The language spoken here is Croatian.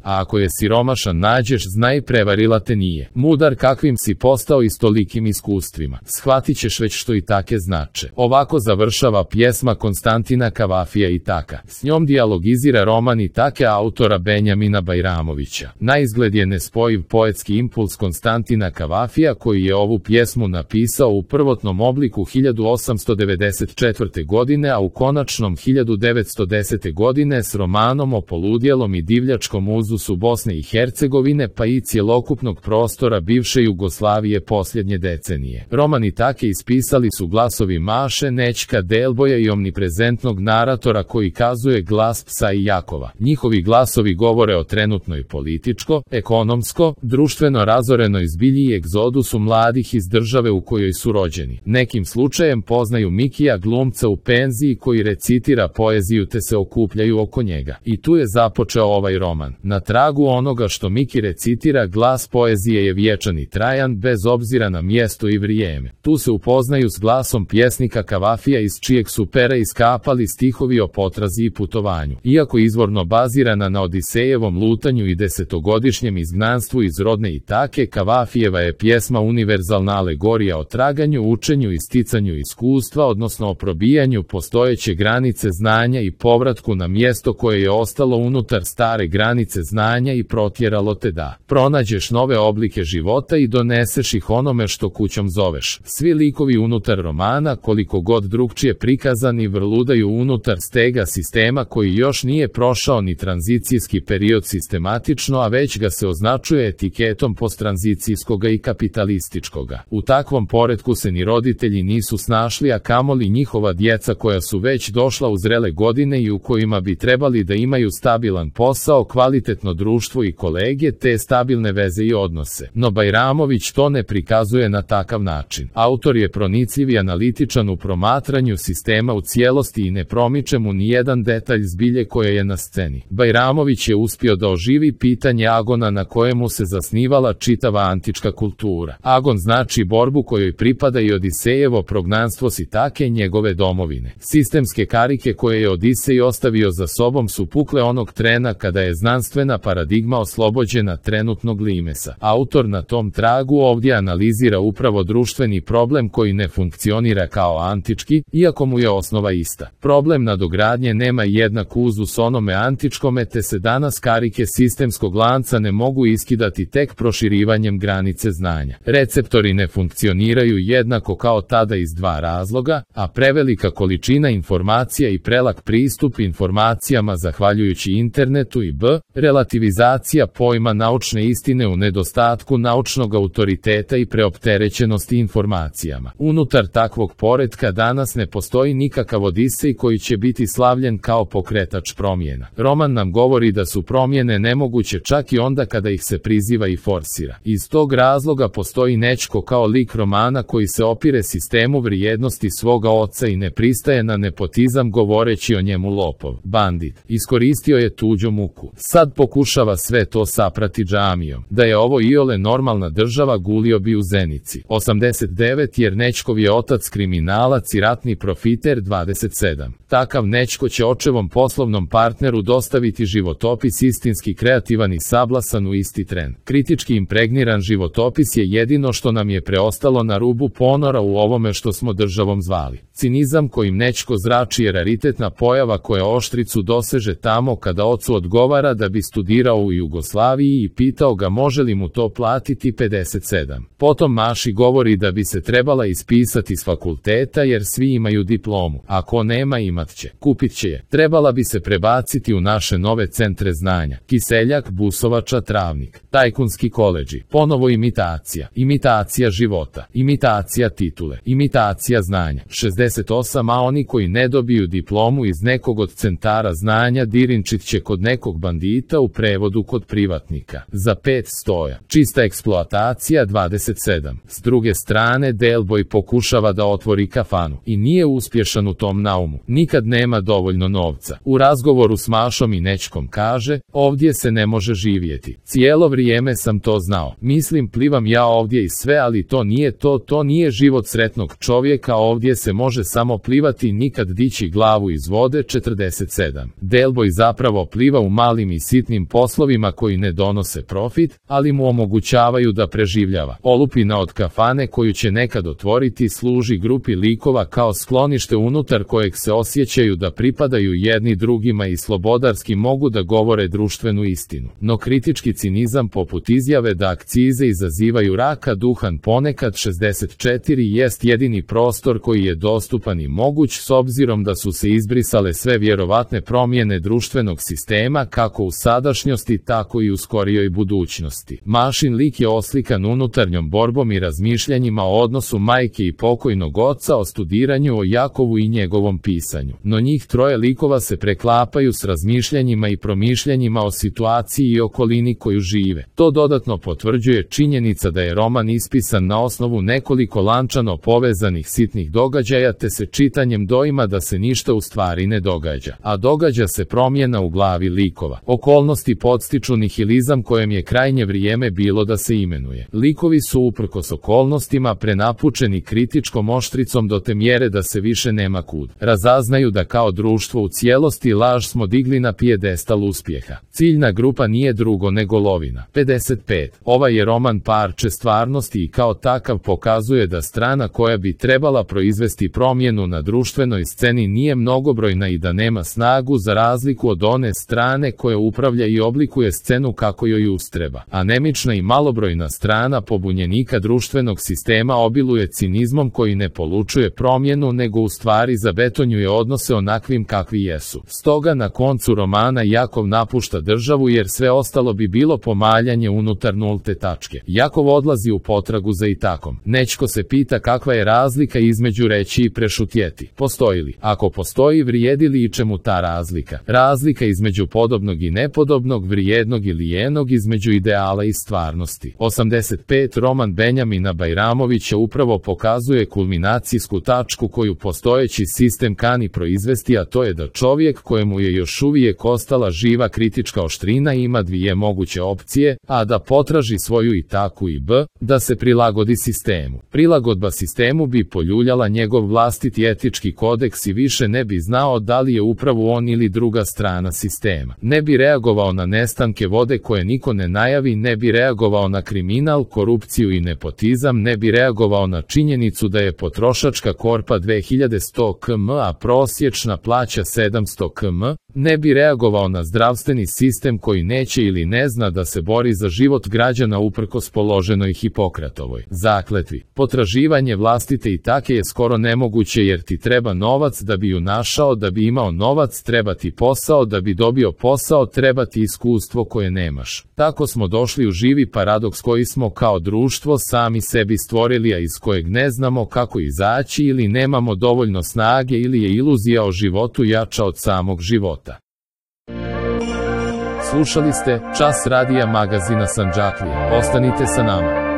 A ako je siromašan nađeš, znaj prevarila te nije. Mudar kakvim si postao i s tolikim iskustvima. Shvatit ćeš već što i take znače. Ovako završava pjesma Konstantina Kavafija Itaka. S njom dijalogizira roman Itake autora Benjamina Bajramovića. Naizgled je nespojiv poetski impuls Konstantina Kavafija koji je ovu pjesmu napisao u prvotnom obliku 1894. godine, a u konačnom 1910. godine s romanom o poludjelom i divljačkom uzusu Bosne i Hercegovine pa i cjelokupnog prostora bivše Jugoslavije posljednje decenije. Roman Itake ispisali su glasovi Maše, Nećka, Delboja i omniprezentnog naratora koji kazuje glas psa i Jakova. Njihovi glasovi govore o trenutnoj političko, ekonomsko, društveno razorenoj zbilji i egzodusu mladih iz države u kojoj su rođeni. Nekim slučajem poznaju Mikija, glumca u penziji koji recitira poeziju te se okupljaju oko njega. I tu je započeo ovaj roman. Na tragu onoga što Miki recitira, glas poezije je vječan i trajan bez obzira na mjesto i vrijeme. Tu se upoznaju s glasom pjesnika Kavafija iz čijeg su pera iskapali stihovi o potrazi i putovanju. Iako izvorno bazirana na Odisejevom lutanju i desetogodišnjem izgnanstvu iz rodne Itake, Kavafijeva je pjesma univerzalna alegorija o traganju, učenju i sticanju iskustva, odnosno o probijanju postojeće granice znanja i povratku na mjesto koje je ostalo unutar stare granice znanja i protjeralo te da pronađeš nove oblike života i doneseš ih onome što kućom zoveš. Svi likovi unutar romana, koliko god drugčije prikazani, vrludaju unutar stega sistema koji još nije prošao ni tranzicijski period sistematično, a već ga se označuje etiketom posttranzicijskoga i kapitalističkoga. U takvom poretku se ni roditelji nisu snašli, a kamoli njihova djeca koja su već došla u zrele godine i u kojima bi trebali da imaju stabilan posao, kvalitetno društvo i kolege te stabilne veze i odnose. No Bajramović to ne prikazuje na takav način. Autor je pronicljiv i analitičan u promatranju sistema u cijelosti i ne promiče mu ni jedan detalj zbilje koje je na sceni. Bajramović je uspio da oživi pitanje agona na kojemu se zasnivala čitava antička kultura. Agon znači borbu kojoj pripada i Odisejevo prognanstvo s Itake, njegove domovine. Sistemske karike koje je Odisej ostavio za sobom su pukle onog trena kada je znanstvena paradigma oslobođena trenutnog limesa. Autor na tom tragu ovdje analizira upravo društveni problem koji ne funkcionira kao antički, iako mu je osnova ista. Problem nadogradnje nema jednak uzus onome antičkome, te se danas karike sistemskog lanca ne mogu iskidati tek proširivanjem granice znanja. Receptori ne funkcioniraju jednako kao tada iz dva razloga, a prevelika količina informacija i prelak pristup informacijama zahvaljujući internetu i relativizacija pojma naučne istine u nedostatku naučnog autoriteta i preopterećenosti informacijama. Unutar takvog poretka danas ne postoji nikakav Odisej koji će biti slavljen kao pokretač promjena. Roman nam govori da su promjene nemoguće čak i onda kada ih se priziva i forsira. Iz tog razloga postoji Nećko kao lik romana koji se opire sistemu vrijednosti svoga oca i ne pristaje na nepotizam govoreći o njemu lopov, bandit. Iskoristio je tuđu muku. Sad pokušava sve to saprati džamijom. Da je ovo iole normalna država gulio bi u Zenici. 89 jer Nećkov je otac kriminalac i ratni profiter 27. Takav Nećko će očevom poslovnom partneru dostaviti životopis istinski kreativan i sablasan u isti tren. Kritički impregniran životopis je jedino što nam je preostalo na rubu ponora u ovome što smo državom zvali. Cinizam kojim Nećko zrači je raritetna pojava koja oštricu doseže tamo kada ocu odgovara da bi studirao u Jugoslaviji i pitao ga može li mu to platiti 57. Potom Maši govori da bi se trebala ispisati s fakulteta jer svi imaju diplomu. Ako nema imat će. Kupit će je. Trebala bi se prebaciti u naše nove centre znanja. Kiseljak, Busovača, Travnik. Tajkunski koledži. Ponovo imitacija. Imitacija života. Imitacija titule. Imitacija znanja. 68. A oni koji ne dobiju diplomu iz nekog od centara znanja dirinčit će kod nekog bandita, u prevodu kod privatnika. Za 5 stoja. Čista eksploatacija 27. S druge strane Delboj pokušava da otvori kafanu i nije uspješan u tom naumu. Nikad nema dovoljno novca. U razgovoru s Mašom i Nećkom kaže, ovdje se ne može živjeti. Cijelo vrijeme sam to znao. Mislim plivam ja ovdje i sve, ali to nije to nije život sretnog čovjeka, ovdje se može samo plivati, nikad dići glavu iz vode 47. Delboj zapravo pliva u malim i sitnim sitnim poslovima koji ne donose profit, ali mu omogućavaju da preživljava. Olupina od kafane koju će nekad otvoriti služi grupi likova kao sklonište unutar kojeg se osjećaju da pripadaju jedni drugima i slobodarski mogu da govore društvenu istinu. No kritički cinizam poput izjave da akcize izazivaju raka duhan ponekad 64 jest jedini prostor koji je dostupan i moguć s obzirom da su se izbrisale sve vjerovatne promjene društvenog sistema kako u sadašnjosti tako i u skorijoj budućnosti. Mašin lik je oslikan unutarnjom borbom i razmišljanjima o odnosu majke i pokojnog oca, o studiranju o Jakovu i njegovom pisanju. No njih troje likova se preklapaju s razmišljanjima i promišljanjima o situaciji i okolini koju žive. To dodatno potvrđuje činjenica da je roman ispisan na osnovu nekoliko lančano povezanih sitnih događaja te se čitanjem doima da se ništa u stvari ne događa, a događa se promjena u glavi likova. Okolnosti podstiču nihilizam kojem je krajnje vrijeme bilo da se imenuje. Likovi su uprkos okolnostima prenapučeni kritičkom oštricom do te mjere da se više nema kud. Razaznaju da kao društvo u cijelosti laž smo digli na pijedestal uspjeha. Ciljna grupa nije drugo nego lovina. 55. Ovaj je roman parče stvarnosti i kao takav pokazuje da strana koja bi trebala proizvesti promjenu na društvenoj sceni nije mnogobrojna i da nema snagu za razliku od one strane koja upravlja i oblikuje scenu kako joj ustreba. Anemična i malobrojna strana pobunjenika društvenog sistema obiluje cinizmom koji ne polučuje promjenu nego u stvari zabetonjuje odnose onakvim kakvi jesu. Stoga na koncu romana Jakov napušta državu jer sve ostalo bi bilo pomaljanje unutar nulte tačke. Jakov odlazi u potragu za Itakom. Nećko se pita kakva je razlika između reći i prešutjeti. Postoji li? Ako postoji, vrijedi li i čemu ta razlika? Razlika između podobnog i nepodobnog, vrijednog i lijenog, između ideala i stvarnosti. 85. Roman Benjamina Bajramovića upravo pokazuje kulminacijsku tačku koju postojeći sistem kani proizvesti, a to je da čovjek kojemu je još uvijek ostala živa kritička oštrina ima dvije moguće opcije, a da potraži svoju Itaku i b, da se prilagodi sistemu. Prilagodba sistemu bi poljuljala njegov vlastiti etički kodeks i više ne bi znao da li je upravo on ili druga strana sistema. Ne bi reagovao na nestanke vode koje niko ne najavi, ne bi reagovao na kriminal, korupciju i nepotizam, ne bi reagovao na činjenicu da je potrošačka korpa 2100 km, a prosječna plaća 700 km, ne bi reagovao na zdravstveni sistem koji neće ili ne zna da se bori za život građana uprkos položenoj Hipokratovoj zakletvi. Potraživanje vlastite Itake je skoro nemoguće jer ti treba novac da bi ju našao, da bi imao novac treba ti posao, da bi dobio posao treba ti iskustvo koje nemaš. Tako smo došli u živi paradoks koji smo kao društvo sami sebi stvorili, a iz kojeg ne znamo kako izaći ili nemamo dovoljno snage ili je iluzija o životu jača od samog života. Slušali ste Čas radija magazina Sandžaklija. Ostanite sa nama.